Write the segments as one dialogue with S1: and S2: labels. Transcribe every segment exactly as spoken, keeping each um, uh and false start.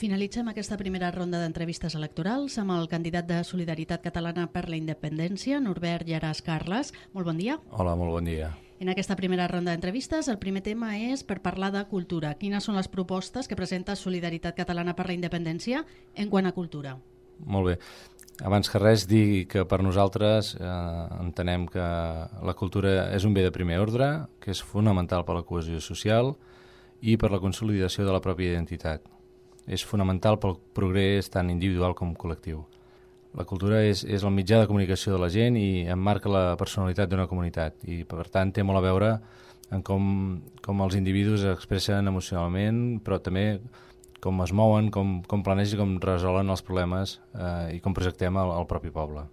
S1: Finalitzem aquesta primera ronda d'entrevistes electorals amb el candidat de Solidaritat Catalana per la Independència, Norbert Llaràs Carles. Molt bon dia.
S2: Hola, molt bon dia.
S1: En aquesta primera ronda d'entrevistes, el primer tema és per parlar de cultura. Quines són les propostes que presenta Solidaritat Catalana per la Independència en quant a cultura?
S2: Molt bé. Abans que res, dir que per nosaltres eh, entenem que la cultura és un bé de primer ordre, que és fonamental per la cohesió social i per la consolidació de la pròpia identitat. És fonamental pel progrés tant individual com col·lectiu. La cultura és, és el mitjà de comunicació de la gent i emmarca la personalitat d'una comunitat i, per tant, té molt a veure en com, com els individus expressen emocionalment, però també com es mouen, com, com planegen i com resolen els problemes eh, i com projectem el, el propi poble.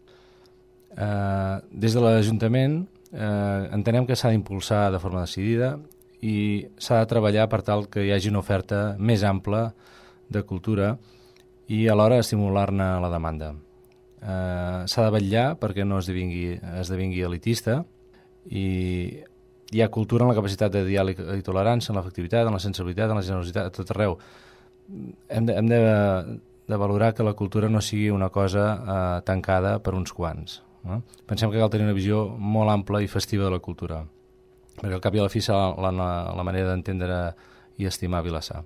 S2: Eh, des de l'Ajuntament eh, entenem que s'ha d'impulsar de forma decidida i s'ha de treballar per tal que hi hagi una oferta més ampla de cultura i alhora estimular-ne la demanda. Eh, s'ha de vetllar perquè no esdevingui, esdevingui elitista i hi ha cultura en la capacitat de diàleg i tolerància, en l'efectivitat, en la sensibilitat, en la generositat, a tot arreu. Hem de, hem de, de valorar que la cultura no sigui una cosa eh, tancada per uns quants. No? Pensem que cal tenir una visió molt ampla i festiva de la cultura, perquè al cap i a la fi serà la, la, la manera d'entendre i estimar Vilassar.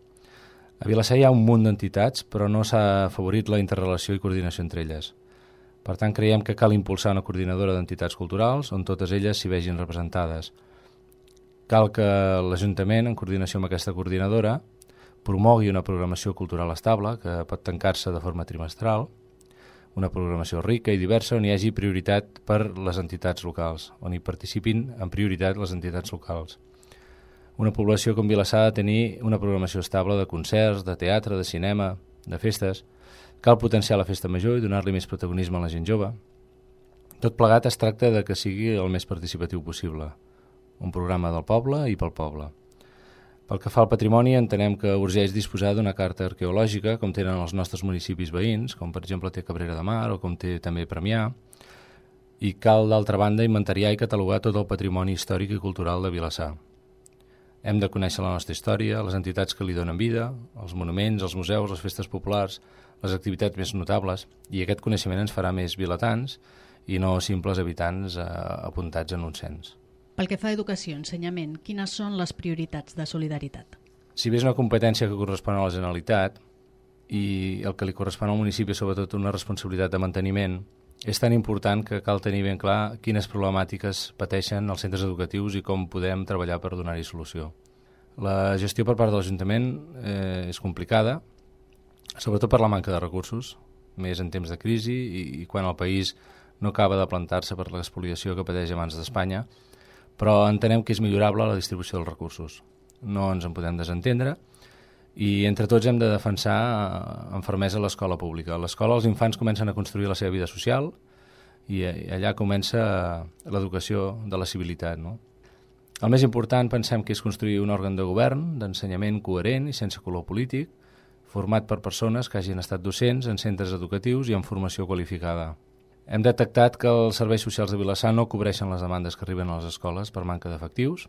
S2: A Vilassar hi ha un munt d'entitats, però no s'ha afavorit la interrelació i coordinació entre elles. Per tant, creiem que cal impulsar una coordinadora d'entitats culturals on totes elles s'hi vegin representades. Cal que l'Ajuntament, en coordinació amb aquesta coordinadora, promogui una programació cultural estable, que pot tancar-se de forma trimestral, una programació rica i diversa on hi hagi prioritat per les entitats locals, on hi participin en prioritat les entitats locals. Una població com Vilassar ha de tenir una programació estable de concerts, de teatre, de cinema, de festes. Cal potenciar la festa major i donar-li més protagonisme a la gent jove. Tot plegat es tracta de que sigui el més participatiu possible. Un programa del poble i pel poble. Pel que fa al patrimoni, entenem que urgeix disposar d'una carta arqueològica, com tenen els nostres municipis veïns, com per exemple té Cabrera de Mar o com té també Premià, i cal, d'altra banda, inventariar i catalogar tot el patrimoni històric i cultural de Vilassar. Hem de conèixer la nostra història, les entitats que li donen vida, els monuments, els museus, les festes populars, les activitats més notables, i aquest coneixement ens farà més vilatans i no simples habitants eh, apuntats en un cens.
S1: Pel que fa a educació, ensenyament, quines són les prioritats de Solidaritat?
S2: Si bé és una competència que correspon a la Generalitat i el que li correspon al municipi és sobretot una responsabilitat de manteniment, és tan important que cal tenir ben clar quines problemàtiques pateixen els centres educatius i com podem treballar per donar-hi solució. La gestió per part de l'Ajuntament eh, és complicada, sobretot per la manca de recursos, més en temps de crisi i, i quan el país no acaba de plantar-se per l'espoliació que pateix abans d'Espanya, però entenem que és millorable la distribució dels recursos. No ens en podem desentendre i entre tots hem de defensar amb fermesa l'escola pública. A l'escola els infants comencen a construir la seva vida social i allà comença l'educació de la civilitat, no? El més important pensem que és construir un òrgan de govern, d'ensenyament coherent i sense color polític, format per persones que hagin estat docents en centres educatius i amb formació qualificada. Hem detectat que els serveis socials de Vilassar no cobreixen les demandes que arriben a les escoles per manca d'efectius.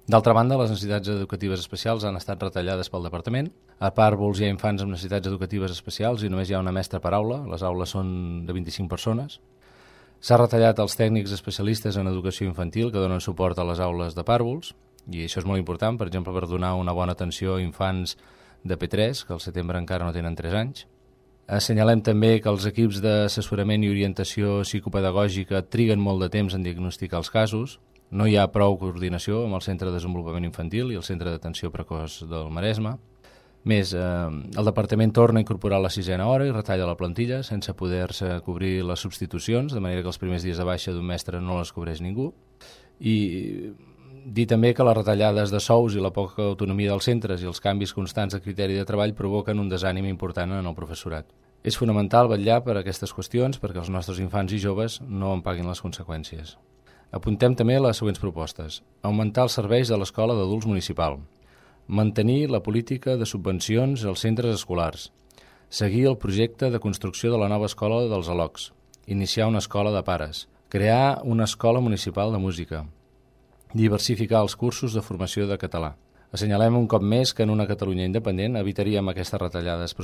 S2: D'altra banda, les necessitats educatives especials han estat retallades pel departament. A Pàrvols hi ha infants amb necessitats educatives especials i només hi ha una mestra per aula. Les aules són de vint-i-cinc persones. S'ha retallat els tècnics especialistes en educació infantil que donen suport a les aules de Pàrvols, i això és molt important, per exemple, per donar una bona atenció a infants de P tres, que al setembre encara no tenen tres anys. Assenyalem també que els equips d'assessorament i orientació psicopedagògica triguen molt de temps en diagnosticar els casos. No hi ha prou coordinació amb el Centre de Desenvolupament Infantil i el Centre d'Atenció Precoç del Maresme. Més, eh, el departament torna a incorporar la sisena hora i retalla la plantilla sense poder-se cobrir les substitucions, de manera que els primers dies de baixa d'un mestre no les cobreix ningú. I dir també que les retallades de sous i la poca autonomia dels centres i els canvis constants de criteri de treball provoquen un desànim important en el professorat. És fonamental vetllar per aquestes qüestions perquè els nostres infants i joves no en paguin les conseqüències. Apuntem també les següents propostes. Augmentar els serveis de l'escola d'adults municipal. Mantenir la política de subvencions als centres escolars. Seguir el projecte de construcció de la nova escola dels Alocs. Iniciar una escola de pares. Crear una escola municipal de música. Diversificar els cursos de formació de català. Assenyalem un cop més que en una Catalunya independent evitaríem aquestes retallades pressupostàries